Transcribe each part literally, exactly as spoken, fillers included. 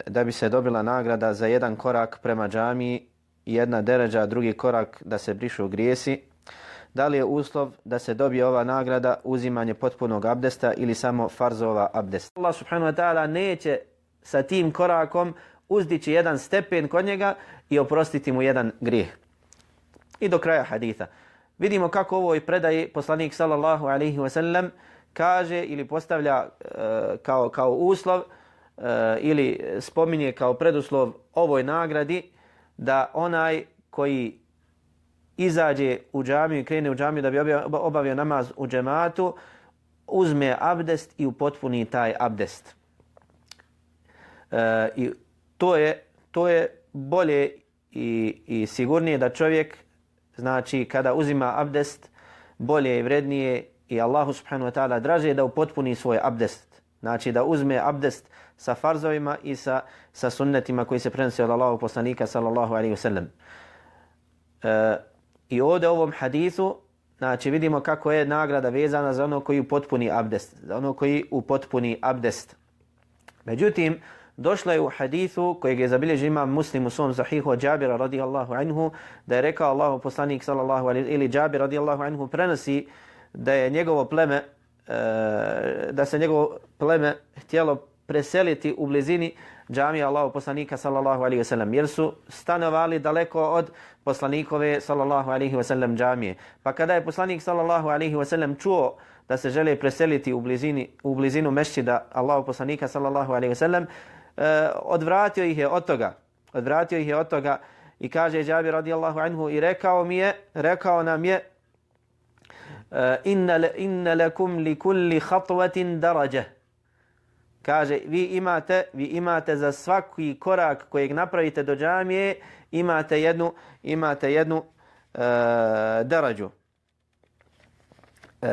da bi se dobila nagrada za jedan korak prema džamiji, jedna deređa, drugi korak da se brišu grijesi. Da li je uslov da se dobije ova nagrada uzimanje potpunog abdesta ili samo farzova abdesta? Allah subhanahu wa ta'ala neće sa tim korakom uzdići jedan stepen kod njega i oprostiti mu jedan grijeh. I do kraja haditha. Vidimo kako ovo i predaje poslanik sallallahu alaihi wa sallam kaže ili postavlja uh, kao, kao uslov uh, ili spominje kao preduslov ovoj nagradi da onaj koji izađe u džamiju i krene u džamiju da bi obavio namaz u džematu, uzme abdest i upotpuni taj abdest. E, I to je, to je bolje i, i sigurnije da čovjek, znači kada uzima abdest, bolje i vrednije i Allahu subhanahu wa ta'ala draže da upotpuni svoj abdest. Znači da uzme abdest sa farzovima i sa, sa sunnetima koji se prenose od Allahog poslanika sallallahu alaihi wa sallam. E, I ovdje u ovom hadithu, znači vidimo kako je nagrada vezana za ono koji upotpuni abdest, za ono koji upotpuni abdest. Međutim, došlo je u hadithu kojeg je zabilježio imam Muslim u svom sahihu od Džabira radijallahu anhu, da je rekao Allahu poslanik sallallahu alaihi ili Džabir radijallahu anhu prenosi da je njegovo pleme, da se njegovo pleme htjelo preseliti u blizini džamija Allahov poslanika sallallahu alejhi ve sellem, jer su stanovali daleko od poslanikove sallallahu alejhi ve sellem džamije. Pa kada je poslanik sallallahu alejhi ve sellem čuo da se žele preseliti u blizini u blizinu mešćida Allahov poslanika sallallahu alejhi ve sellem, eh, odvratio ih je od toga. Odvratio ih je od toga i kaže Džabir radijallahu anhu i rekao mi je, rekao nam je inna inna lakum li kulli khatwatin daraja. Kaže, vi imate, vi imate za svaki korak kojeg napravite do džamije, imate jednu, imate jednu uh, darađu. Uh,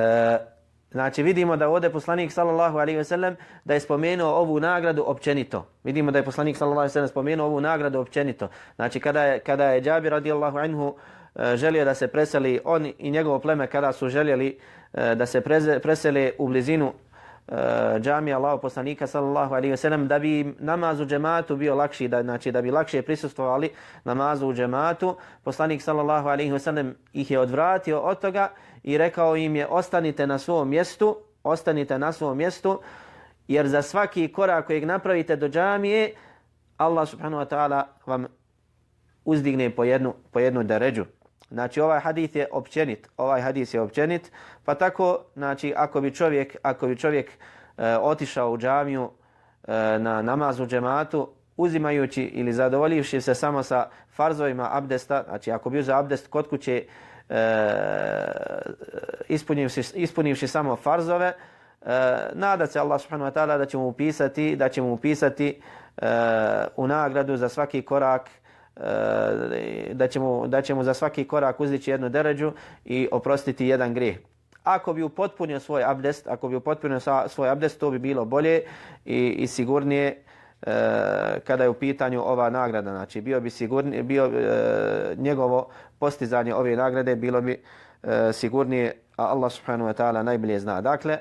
znači vidimo da ovdje poslanik sallallahu alejhi ve sellem da je spomenuo ovu nagradu općenito. Vidimo da je poslanik sallallahu alejhi ve sellem spomenuo ovu nagradu općenito. Znači kada je, kada je Džabir radijallahu anhu uh, želio da se preseli, on i njegovo pleme kada su željeli uh, da se preze, presele u blizinu džamija Allahov poslanika sallallahu alejhi ve sellem, da bi namaz u džematu bio lakši, da znači da bi lakše prisustvovali namazu u džematu, poslanik sallallahu alejhi ve sellem ih je odvratio od toga i rekao im je ostanite na svom mjestu, ostanite na svom mjestu, jer za svaki korak kojeg napravite do džamije Allah subhanahu wa ta'ala vam uzdigne po jednu po jednu deređu. Znači ovaj hadis je općenit, ovaj hadis je općenit, pa tako znači ako bi čovjek, ako bi čovjek e, otišao u džamiju e, na namaz u džematu, uzimajući ili zadovoljivši se samo sa farzovima abdesta, znači ako bi uzeo abdest kod kuće e, ispunivši, ispunivši samo farzove, e, nada se Allah subhanahu wa ta'ala da će mu upisati, da će mu upisati e, u nagradu za svaki korak, da će mu, da će mu za svaki korak uzdići jednu deređu i oprostiti jedan grijeh. Ako bi upotpunio svoj abdest, ako bi upotpunio svoj abdest, to bi bilo bolje i, i sigurnije e, kada je u pitanju ova nagrada. Znači bio bi sigurnije, bio e, njegovo postizanje ove nagrade bilo bi e, sigurnije, a Allah subhanahu wa ta'ala najbolje zna. Dakle,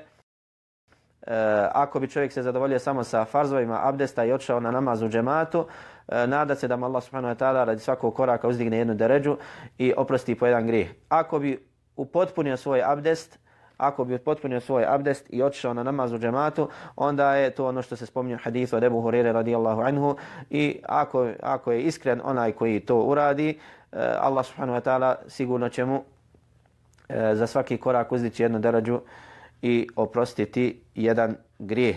E, ako bi čovjek se zadovoljio samo sa farzovima abdesta i otišao na namaz u džematu, e, nada se da mu Allah subhanahu wa ta'ala radi svakog koraka uzdigne jednu deređu i oprosti po jedan grijeh. Ako bi upotpunio svoj abdest, ako bi upotpunio svoj abdest i otišao na namaz u džematu, onda je to ono što se spominje u hadithu od Ebu Hurire radijallahu anhu i ako, ako je iskren onaj koji to uradi, e, Allah subhanahu wa ta'ala sigurno će mu e, za svaki korak uzdići jednu deređu i oprostiti jedan grijeh.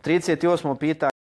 trideset osmo pitanje.